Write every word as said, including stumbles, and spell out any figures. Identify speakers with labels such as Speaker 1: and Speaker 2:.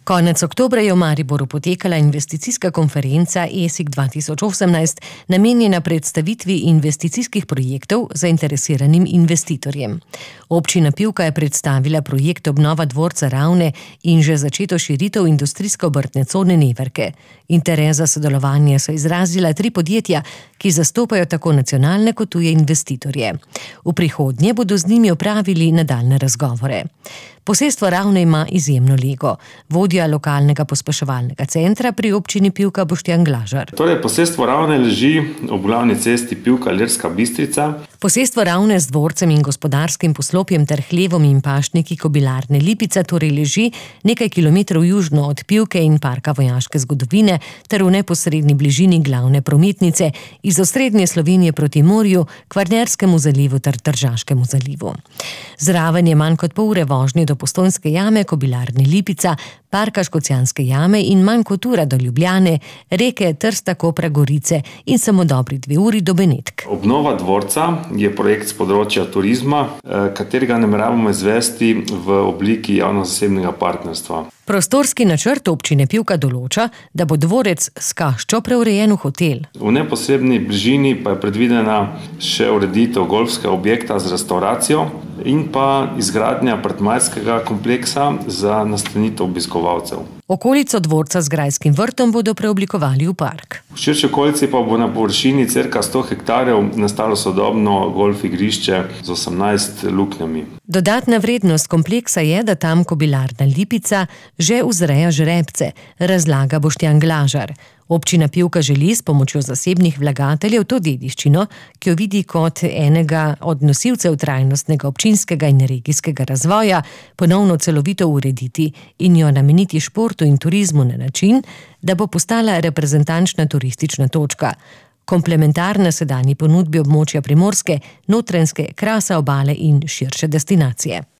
Speaker 1: Konec oktobra je v Mariboru potekala investicijska konferenca E S I K dva tisoč osemnajst, namenjena predstavitvi investicijskih projektov zainteresiranim investitorjem. Občina Pivka je predstavila projekt obnova dvorca Ravne in že začeto širitev industrijsko-obrtne cone Neverke. Interes za sodelovanje so izrazila tri podjetja, ki zastopajo tako nacionalne kot tuje investitorje. V prihodnje bodo z njimi opravili nadaljnje razgovore. Posestvo Ravne ima izjemno lego. Vodja lokalnega pospeševalnega centra pri občini Pivka Boštjan Glažar.
Speaker 2: Torej, posestvo Ravne leži ob glavni cesti Pivka-Ilirska Bistrica.
Speaker 1: Posestvo Ravne z dvorcem in gospodarskim poslopjem ter hlevom in pašniki Kobilarne Lipica torej leži nekaj kilometrov južno od Pivke in parka vojaške zgodovine ter v neposredni bližini glavne prometnice iz osrednje Slovenije proti morju, Kvarnerskemu zalivu ter Tržaškemu zalivu. Zraven je manj kot pol ure vožnje do Postojnske jame, Kobilarne Lipica, parka Škocjanske jame in manj kot ura do Ljubljane, reke Trsta, Kopra, Gorice in samo dobri dve uri do Benetk.
Speaker 2: Obnova dvorca je projekt z področja turizma, katerega nameravamo izvesti v obliki javno-zasebnega partnerstva.
Speaker 1: Prostorski načrt občine Pivka določa, da bo dvorec s kaščo preurejen v hotel.
Speaker 2: V neposredni bližini pa je predvidena še ureditev golfskega objekta z restavracijo in pa izgradnja apartmajskega kompleksa za nastanitev obiskovalcev.
Speaker 1: Okolico dvorca z grajskim vrtom bodo preoblikovali v park.
Speaker 2: V širši okolici pa bo na površini cirka sto hektarjev nastalo sodobno golf igrišče z osemnajst luknjami.
Speaker 1: Dodatna vrednost kompleksa je, da tam Kobilarna Lipica že vzreja žrebce, razlaga Boštjan Glažar. Občina Pivka želi s pomočjo zasebnih vlagateljev to dediščino, ki jo vidi kot enega od nosilcev trajnostnega občinskega in regijskega razvoja, ponovno celovito urediti in jo nameniti športu in turizmu na način, da bo postala reprezentančna turistična točka, komplementarna sedanji ponudbi območja Primorske, Notranjske, Krasa, Obale in širše destinacije.